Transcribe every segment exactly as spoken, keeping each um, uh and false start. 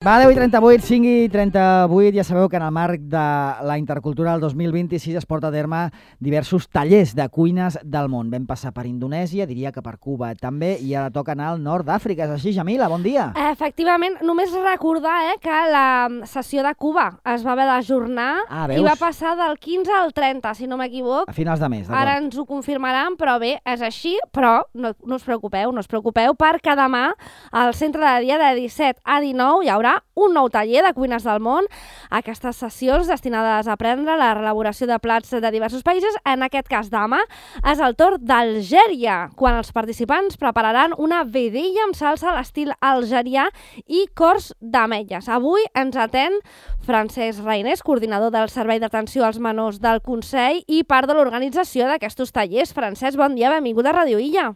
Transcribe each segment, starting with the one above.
Va, deu i trenta-vuit, cinc i trenta-vuit, ja sabeu que en el marc de la Intercultural dos mil vint-i-sis es porta a terme diversos tallers de cuines del món. Vam passar per Indonèsia, diria que per Cuba també, i ara toca anar al nord d'Àfrica. És així, Jamila? Bon dia. Efectivament, només recordar eh, que la sessió de Cuba es va haver d'ajornar Ah, i veus? va passar del quinze al trenta, si no m'equivoc. A finals de mes, d'acord. Ara ens ho confirmaran, però bé, és així, però no, no us preocupeu, no us preocupeu, perquè demà al centre de dia de disset a dinou hi haurà un nou taller de cuines del món. Aquestes sessions destinades a aprendre la elaboració de plats de diversos països. En aquest cas, demà és el torn d'Algèria, quan els participants prepararan una vedella amb salsa a l'estil algerià i cors d'ametlles. Avui ens atén Francesc Reinés, coordinador del Servei d'Atenció als Menors del Consell i part de l'organització d'aquests tallers. Francesc, bon dia, benvingut a Ràdio Illa.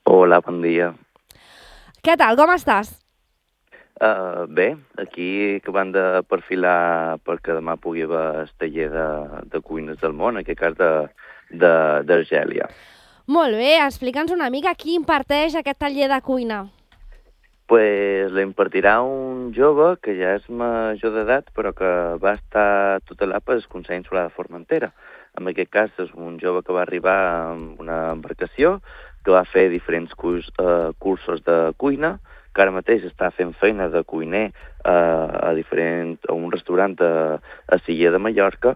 Hola, bon dia. Què tal, com estàs? Uh, bé, aquí acabant de perfilar perquè demà pugui haver el taller de, de cuines del món, en aquest cas d'Argèlia. Molt bé, explica'ns una mica qui imparteix aquest taller de cuina. Pues l'impartirà un jove que ja és major d'edat, però que va estar tutelat pel Consell Insular de Formentera. En aquest cas és un jove que va arribar amb una embarcació, que va fer diferents curs, uh, cursos de cuina, que ara mateix està fent feina de cuiner eh, a, diferent, a un restaurant a, a Silla de Mallorca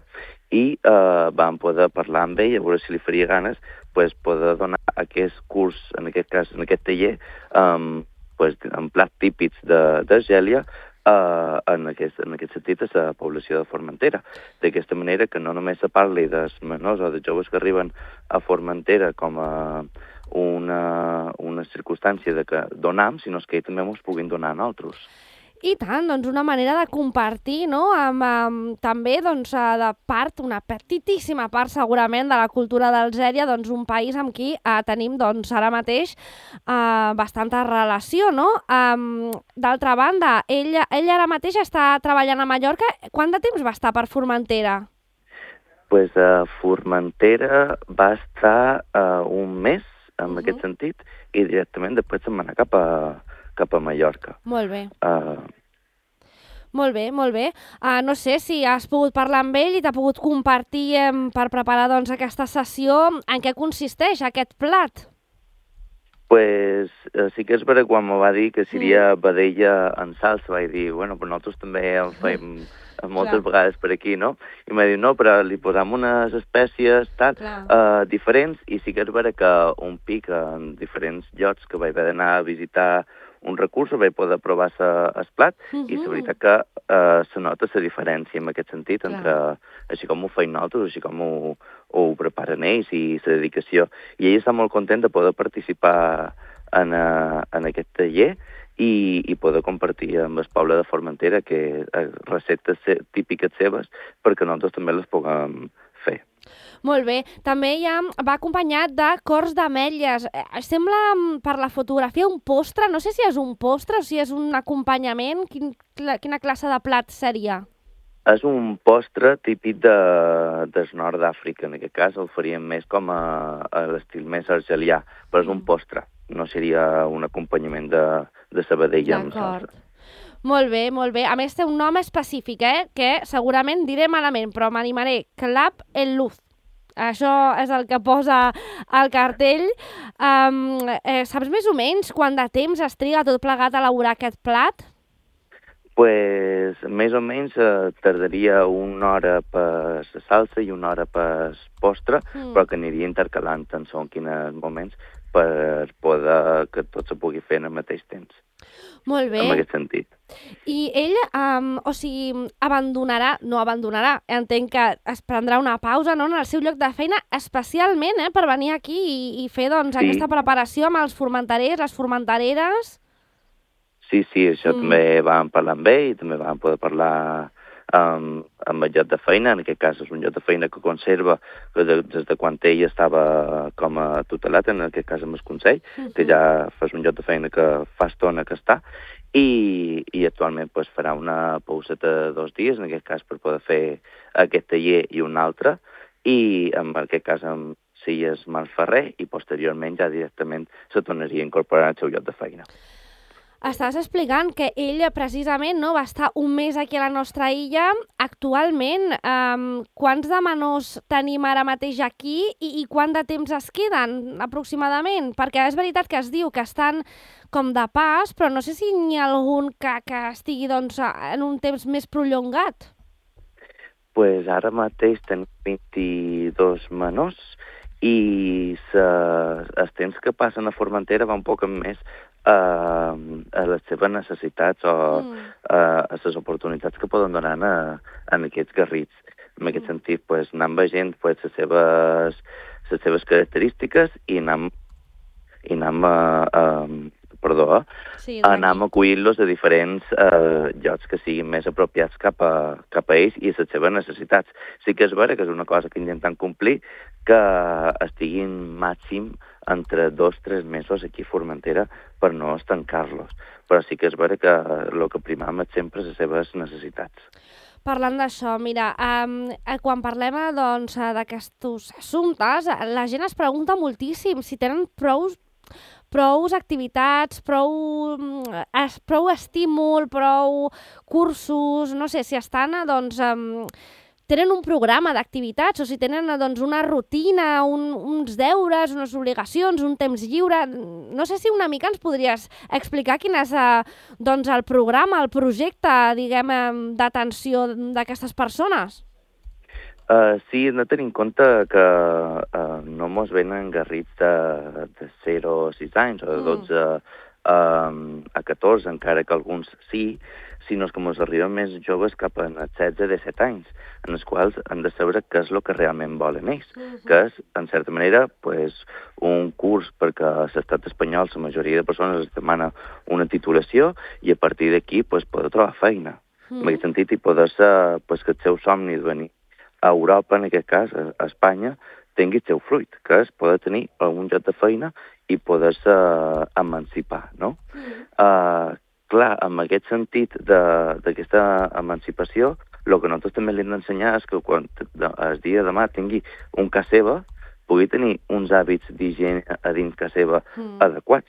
i eh, vam poder parlar amb ell, a veure si li faria ganes pues, poder donar aquest curs, en aquest cas, en aquest taller, um, pues, en plats típics d'Argèlia, uh, en, aquest, en aquest sentit a la població de Formentera. D'aquesta manera que no només se parli dels menors o dels joves que arriben a Formentera com a una, una circumstància de que donam, sinó que també ens puguin donar a nosaltres. I tant, doncs una manera de compartir, no?, amb, amb també doncs, de part, una petitíssima part segurament de la cultura d'Algèria, doncs un país amb qui eh, tenim doncs, ara mateix eh, bastanta relació, no? Um, D'altra banda, ell, ell ara mateix està treballant a Mallorca. Quant de temps va estar per Formentera? Pues a uh, Formentera va estar uh, un mes, en uh-huh. aquest sentit, i directament després se'n va anar cap a, cap a Mallorca. Molt bé. Uh, Molt bé, molt bé. Uh, no sé si has pogut parlar amb ell i t'ha pogut compartir eh, per preparar doncs, aquesta sessió. En què consisteix aquest plat? Pues uh, sí que és vera quan me va dir que seria mm. vedella en salsa, vaig dir, bueno, però nosaltres també en fem moltes Clar. vegades per aquí, no? I m'ha dit, no, però li posam unes espècies tal, uh, diferents, i sí que és vera que un pic en diferents llocs que vaig haver d'anar a visitar un recurs, vaig poder provar el plat, uh -huh. i la veritat que uh, se nota la diferència en aquest sentit, Clar. entre així com ho feim nosaltres, així com ho, ho preparen ells i la dedicació. I ell està molt content de poder participar en, uh, en aquest taller, I, i poder compartir amb el poble de Formentera que receptes típiques seves perquè nosaltres també les puguem fer. Molt bé. També ja va acompanyat de cors d'ametlles. Sembla per la fotografia un postre, no sé si és un postre o si és un acompanyament. Quin, quina classe de plat seria? És un postre típic de, del nord d'Àfrica. En aquest cas el faríem més com a, a l'estil més argelià, però és un postre. No seria un acompanyament de, de sabadella amb salsa. Molt bé, molt bé. A més té un nom específic, eh? Que segurament diré malament, però m'animaré. Clap el luz. Això és el que posa al cartell. Um, eh, saps més o menys quant de temps es triga tot plegat a elaborar aquest plat? Pues més o menys eh, tardaria una hora per la salsa i una hora per postre, mm. però que aniria intercalant en segons quins moments per poder que tot se pugui fer en el mateix temps. Molt bé. En aquest sentit. I ell, um, o sigui, abandonarà, no abandonarà, entenc que es prendrà una pausa, no?, en el seu lloc de feina, especialment eh, per venir aquí i, i fer doncs, sí. aquesta preparació amb els formenterers, les formentereres. Sí, sí, això mm. també vam parlar amb ell, també vam poder parlar amb, amb el lloc de feina. En aquest cas és un lloc de feina que conserva des de, de quan ell estava com a tutelat, en aquest cas amb el Consell, mm-hmm. que ja és un lloc de feina que fa estona que està, i, i actualment pues, farà una pauseta de dos dies, en aquest cas per poder fer aquest taller i un altre, i en aquest cas amb Silles Malferrer, i posteriorment ja directament se tornaria a incorporar al seu lloc de feina. Estàs explicant que ell precisament no, va estar un mes aquí a la nostra illa. Actualment, um, quants de menors tenim ara mateix aquí i, i quant de temps es queden aproximadament? Perquè és veritat que es diu que estan com de pas, però no sé si n'hi ha algun que, que estigui doncs, en un temps més prolongat. Pues ara mateix tenim vint-i-dos menors i se, els temps que passen a Formentera va un poc més a, a les seves necessitats o mm. a, a les oportunitats que poden donar a, en aquests garrits. En aquest mm. sentit, pues, anant veient pues, les, seves, les seves característiques i anam, i anam a, a, perdó, sí, anam acollint-los a diferents eh, llocs que siguin més apropiats cap a, cap a ells i a les seves necessitats. Sí que és vera que és una cosa que intentem complir, que estiguin màxim entre dos o tres mesos aquí a Formentera per no estancar-los. Però sí que és vera que el que primam és sempre les seves necessitats. Parlant d'això, mira, um, quan parlem doncs, d'aquests assumptes, la gent es pregunta moltíssim si tenen prou prou activitats, prou, prou estímul, prou cursos, no sé, si estan, doncs, um, tenen un programa d'activitats o si tenen doncs, una rutina, un, uns deures, unes obligacions, un temps lliure. No sé si una mica ens podries explicar quin és uh, doncs, el programa, el projecte, diguem, d'atenció d'aquestes persones. Uh, sí, hem de tenir en compte que uh, no mos venen garrits de, de zero a sis anys o de dotze mm. uh, a catorze, encara que alguns sí, sinó que mos arriben més joves cap a setze a disset anys, en els quals han de saber què és el que realment volen ells, mm-hmm. que és, en certa manera, pues, un curs perquè a l'estat espanyol la majoria de persones es demana una titulació i a partir d'aquí pues, poder trobar feina. Mm. En aquest sentit, i poder ser pues, que el seu somni de venir a Europa, en aquest cas, a Espanya, tingui el seu fruit, que és poder tenir algun lloc de feina i poder-se emancipar, no? Mm. Uh, clar, en aquest sentit d'aquesta emancipació, el que nosaltres també li hem d'ensenyar és que quan el dia de demà tingui un casa seva, pugui tenir uns hàbits d'higiene a dins casa seva mm. adequats.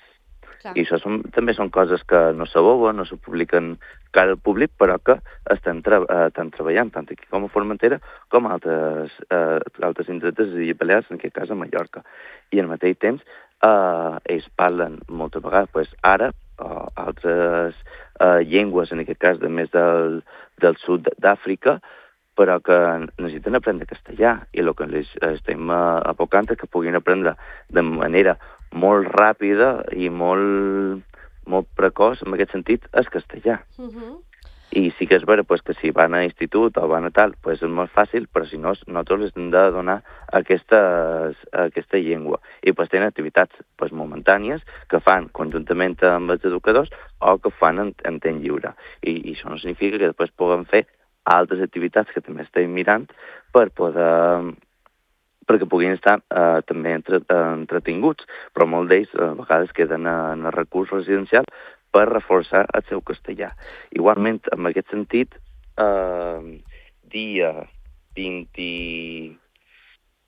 Clar. I això són, també són coses que no s'aboben, no se publiquen cara al públic, però que estan, tra eh, estan treballant tant aquí com a Formentera com a altres, eh, altres indrets de les Illes Balears, en aquest cas a Mallorca. I al mateix temps eh, ells parlen moltes vegades, pues, àrab o altres eh, llengües, en aquest cas de més del, del sud d'Àfrica, però que necessiten aprendre castellà i el que els estem abocant és que puguin aprendre de manera molt ràpida i molt, molt precoç, en aquest sentit, és castellà. Uh-huh. I sí que és vera pues, que si van a institut o van a tal, pues és molt fàcil, però si no, nosaltres les hem de donar aquestes, aquesta llengua. I pues, tenen activitats pues, momentànies que fan conjuntament amb els educadors o que fan en, en temps lliure. I, I això no significa que després puguem fer altres activitats que també estem mirant per poder perquè puguin estar eh, també entre, eh, entretinguts, però molts d'ells a vegades queden en el recurs residencial per reforçar el seu castellà. Igualment, en aquest sentit, eh, dia vint,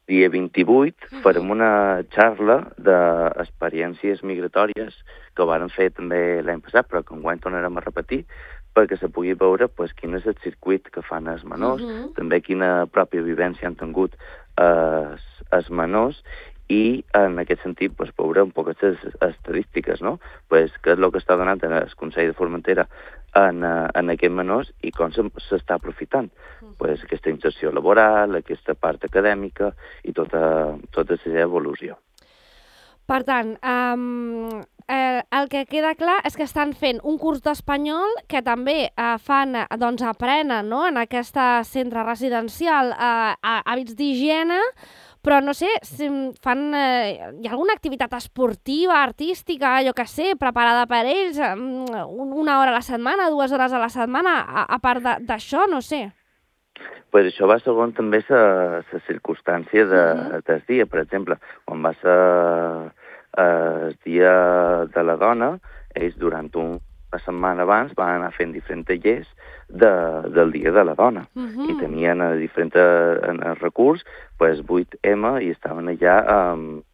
dia vint-i-vuit uh-huh. farem una xarra d'experiències migratòries que ho vam fer també l'any passat, però que enguany tornarem a repetir, perquè se pugui veure pues, quin és el circuit que fan els menors, uh-huh. també quina pròpia vivència han tingut els, els menors i en aquest sentit pues, veure un poc aquestes estadístiques, no? Pues, què és el que està donant el Consell de Formentera en, en aquests menors i com s'està aprofitant. Uh-huh. Pues, aquesta inserció laboral, aquesta part acadèmica i tota, tota la seva evolució. Per tant, um, eh, el que queda clar és que estan fent un curs d'espanyol que també eh, fan, doncs aprenen no? en aquest centre residencial eh, hàbits d'higiene, però no sé, si fan, eh, hi ha alguna activitat esportiva, artística, jo què sé, preparada per ells, una hora a la setmana, dues hores a la setmana, a, a part d'això, no sé. Pues això va segons també la circumstància de, uh-huh. del dia. Per exemple, quan va ser el dia de la dona, ells durant una setmana abans van anar fent diferents tallers de, del dia de la dona. Uh-huh. I tenien a diferents en el recurs pues, vuit ema i estaven allà amb,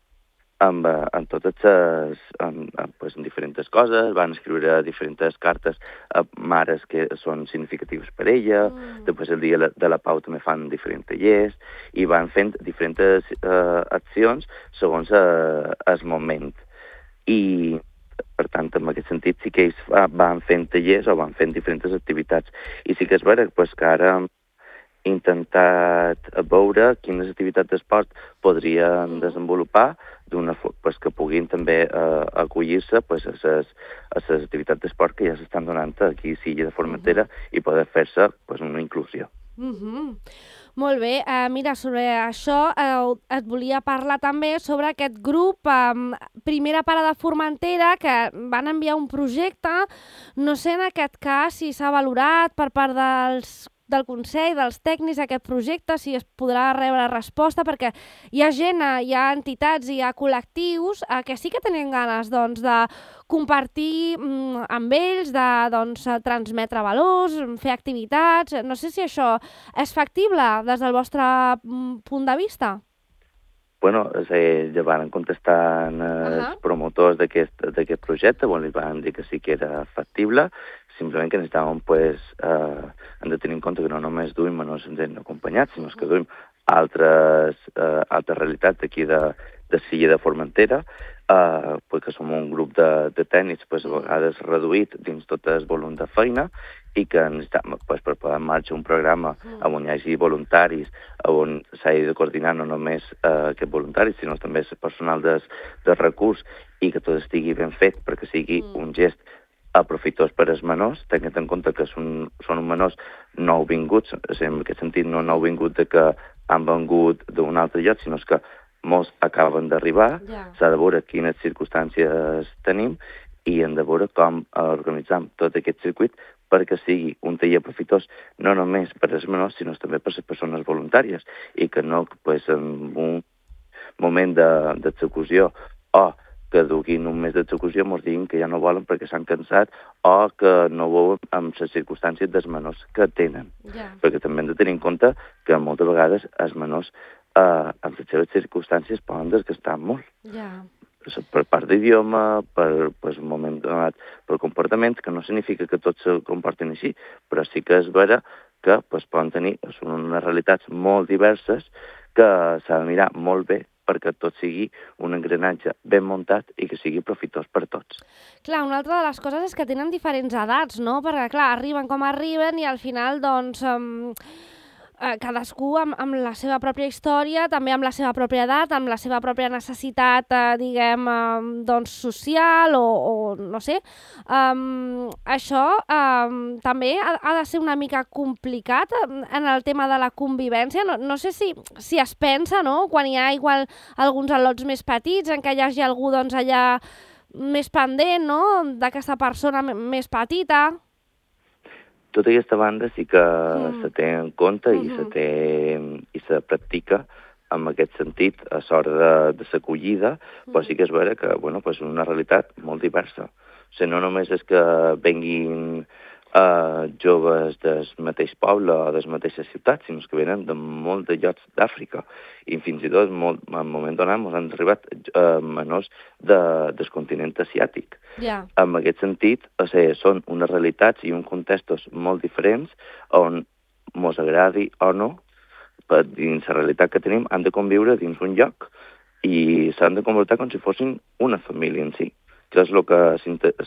amb, amb totes les, amb, amb, pues, en diferents coses, van escriure diferents cartes a mares que són significatives per ella, mm. després el dia de la Pau també fan diferents tallers, i van fent diferents uh, accions segons uh, el moment. I, per tant, en aquest sentit, sí que ells van fent tallers o van fent diferents activitats. I sí que és vera pues, que ara intentat veure quines activitats d'esport podrien desenvolupar d'una pues, que puguin també eh, acollir-se pues, a les activitats d'esport que ja s'estan donant aquí a Silla de Formentera uh -huh. i poder fer-se pues, una inclusió. Uh -huh. Molt bé. Uh, mira, sobre això uh, et volia parlar també sobre aquest grup um, Primera Parada Formentera que van enviar un projecte. No sé en aquest cas si s'ha valorat per part dels del Consell, dels tècnics d'aquest projecte, si es podrà rebre resposta, perquè hi ha gent, hi ha entitats, hi ha col·lectius eh, que sí que tenen ganes doncs, de compartir mm, amb ells, de doncs, transmetre valors, fer activitats. No sé si això és factible des del vostre mm, punt de vista. Bueno, eh, ja van contestar els uh -huh. promotors d'aquest projecte, bon, li van dir que sí que era factible, simplement que necessitàvem, pues, eh, hem de tenir en compte que no només duim menors acompanyats, sinó que duim altres, eh, altres realitats d'aquí de, de Silla de Formentera, eh, pues, que som un grup de, de tècnics pues, a vegades reduït dins tot el volum de feina, i que necessitem, pues, per posar en marxa un programa on hi hagi voluntaris, on s'hagi de coordinar no només eh, aquests voluntaris, sinó també el personal de, de recurs, i que tot estigui ben fet perquè sigui mm. un gest aprofitós per als menors, tenint en compte que són, són menors nouvinguts, en aquest sentit no nouvinguts de que han vengut d'un altre lloc, sinó que molts acaben d'arribar, yeah. S'ha de veure quines circumstàncies tenim i hem de veure com organitzam tot aquest circuit perquè sigui un taller profitós no només per als menors, sinó també per a les persones voluntàries, i que no, pues, en un moment d'execució o que duguin un mes d'execució ens diguin que ja no volen perquè s'han cansat o que no veuen amb les circumstàncies dels menors que tenen. Yeah. Perquè també hem de tenir en compte que moltes vegades els menors eh, amb les seves circumstàncies poden desgastar molt. Yeah. Per part d'idioma, per pues, un moment donat, per comportaments, que no significa que tots se comportin així, però sí que és vera que pues, poden tenir són unes realitats molt diverses que s'ha de mirar molt bé perquè tot sigui un engranatge ben muntat i que sigui profitós per tots. Clar, una altra de les coses és que tenen diferents edats, no? Perquè, clar, arriben com arriben i al final, doncs, um, eh, cadascú amb, amb la seva pròpia història, també amb la seva pròpia edat, amb la seva pròpia necessitat, eh, diguem, eh, doncs, social o, o no sé. Um, això um, també ha, ha de ser una mica complicat en el tema de la convivència. No, no sé si, si es pensa, no?, quan hi ha igual alguns al·lots més petits, en què hi hagi algú doncs, allà més pendent, no?, d'aquesta persona més petita. Tota aquesta banda sí que mm. se té en compte mm -hmm. i se té i se practica en aquest sentit a l'hora de, de l'acollida, mm. però sí que és vera que bueno, pues una realitat molt diversa. O sigui, no només és que venguin uh, joves del mateix poble o de les mateixes ciutats, sinó que venen de molts de llocs d'Àfrica. I fins i tot, molt, en un moment donat, ens han arribat uh, menors de, del continent asiàtic. Yeah. En aquest sentit, o sigui, són unes realitats i uns contextos molt diferents on mos agradi o no, per dins la realitat que tenim, han de conviure dins un lloc i s'han de comportar com si fossin una família en si, que és el que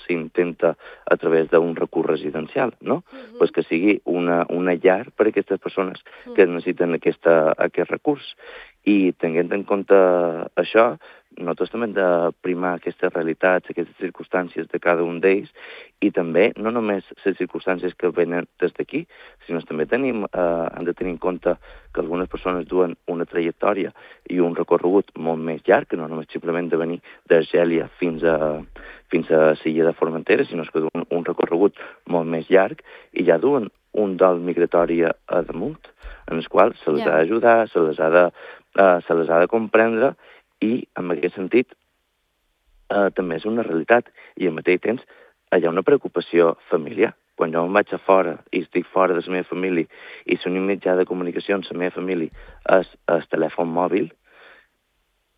s'intenta a través d'un recurs residencial, no? Uh-huh. Pues que sigui una, una llar per a aquestes persones uh-huh. que necessiten aquesta, aquest recurs. I tenint en compte això, nosaltres també hem de primar aquestes realitats, aquestes circumstàncies de cada un d'ells, i també no només les circumstàncies que venen des d'aquí, sinó que també tenim, eh, hem de tenir en compte que algunes persones duen una trajectòria i un recorregut molt més llarg, que no només simplement de venir d'Argèlia fins a, fins a Silla de Formentera, sinó que duen un recorregut molt més llarg i ja duen un dol migratori a damunt, en el qual se les yeah. ha d'ajudar, se les ha de, uh, se les ha de comprendre, i en aquest sentit uh, també és una realitat, i al mateix temps hi ha una preocupació familiar. Quan jo em vaig a fora i estic fora de la meva família i l'únic mitjà de comunicació amb la meva família és el telèfon mòbil,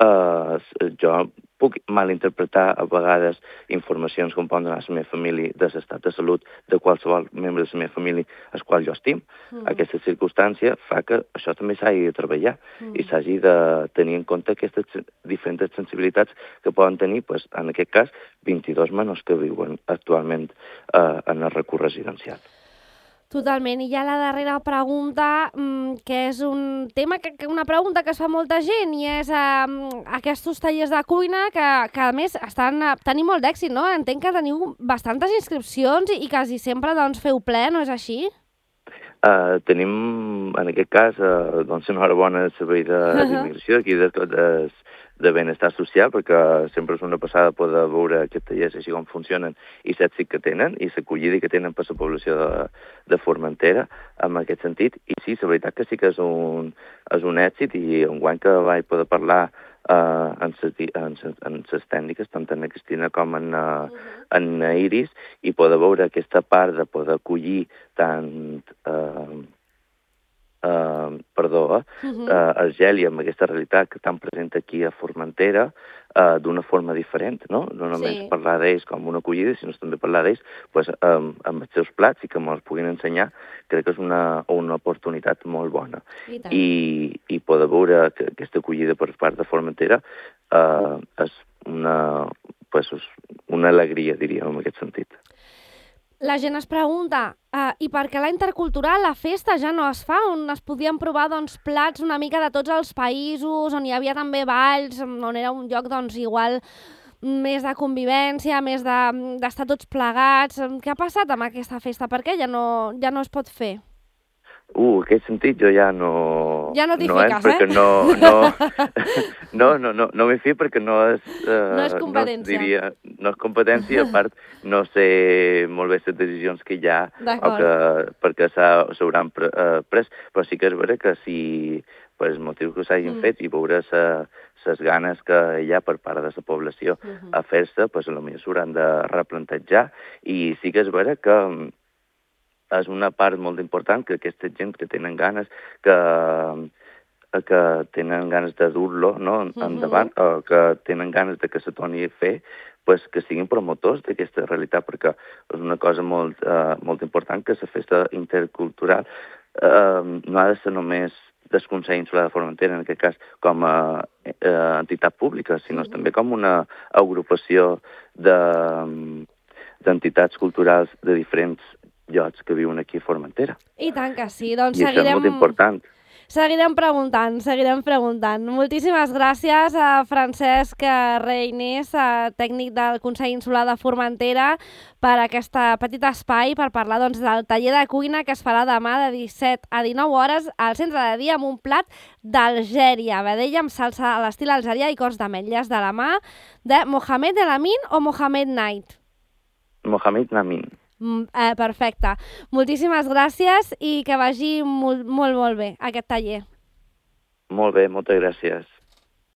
Uh, jo puc malinterpretar a vegades informacions com poden donar la meva família de l'estat de salut de qualsevol membre de la meva família al qual jo estim. Mm. Aquesta circumstància fa que això també s'hagi de treballar mm. i s'hagi de tenir en compte aquestes diferents sensibilitats que poden tenir, pues, en aquest cas, vint-i-dos menors que viuen actualment uh, en el recurs residencial. Totalment. I ja la darrera pregunta, que és un tema, que, una pregunta que es fa molta gent, i és eh, aquests tallers de cuina que, que a més estan tenint molt d'èxit, no? Entenc que teniu bastantes inscripcions i, i quasi sempre doncs, feu ple, no és així? Uh, tenim, en aquest cas, uh, doncs, una hora bona de servei d'immigració, aquí de, de, de benestar social, perquè sempre és una passada poder veure aquests tallers així com funcionen i l'èxit que tenen i l'acollida que tenen per la població de, de Formentera en aquest sentit. I sí, la veritat que sí que és un, és un èxit, i enguany que vaig poder parlar uh, en les tècniques, tant en Cristina com en, uh, en Iris, i poder veure aquesta part de poder acollir tant... Uh, Uh, perdó, eh? uh-huh. uh, Argèlia, amb aquesta realitat que estan present aquí a Formentera, uh, d'una forma diferent, no? No només sí. parlar d'ells com una acollida, sinó també parlar d'ells pues, um, amb els seus plats i que me'ls puguin ensenyar, crec que és una, una oportunitat molt bona. I, I, i poder veure que aquesta acollida per part de Formentera uh, és una, pues, una alegria, diríem, en aquest sentit. La gent es pregunta, uh, i per què la intercultural, la festa ja no es fa, on es podien provar doncs, plats una mica de tots els països, on hi havia també balls, on era un lloc doncs, igual més de convivència, més d'estar de, tots plegats. Què ha passat amb aquesta festa? Per què ja no, ja no es pot fer? Uh, en aquest sentit jo ja no... Ja no t'hi no fiques, és, eh? No, no, no, no, no, no m'hi fico perquè no és... Uh, no és competència. No, diria, no és competència, a part no sé molt bé les decisions que hi ha o que, perquè s'hauran pre, uh, pres, però sí que és vera que si per els motius que s'hagin mm. fet i veure les ganes que hi ha per part de la població mm-hmm. a fer-se, pues, potser s'hauran de replantejar, i sí que és vera que és una part molt important que aquesta gent que tenen ganes, que, que tenen ganes de dur-lo no, endavant, mm-hmm. o que tenen ganes de que se torni a fer, pues, que siguin promotors d'aquesta realitat, perquè és una cosa molt, uh, molt important que la festa intercultural uh, no ha de ser només del Consell Insular de Formentera, en aquest cas com a uh, entitat pública, sinó mm-hmm. també com una agrupació d'entitats de, culturals de diferents llocs que viuen aquí a Formentera. I tant que sí, doncs I seguirem... això és molt important. Seguirem preguntant, seguirem preguntant. Moltíssimes gràcies a Francesc Reynés, tècnic del Consell Insular de Formentera, per aquest petit espai per parlar doncs, del taller de cuina que es farà demà de disset a dinou hores al centre de dia amb un plat d'Algèria, vedella amb salsa a l'estil algerià i cors d'ametlles de la mà de Mohamed El Amin o Mohamed Knight? Mohamed Namin. Eh, perfecte. Moltíssimes gràcies i que vagi molt, molt, molt bé aquest taller. Molt bé, moltes gràcies.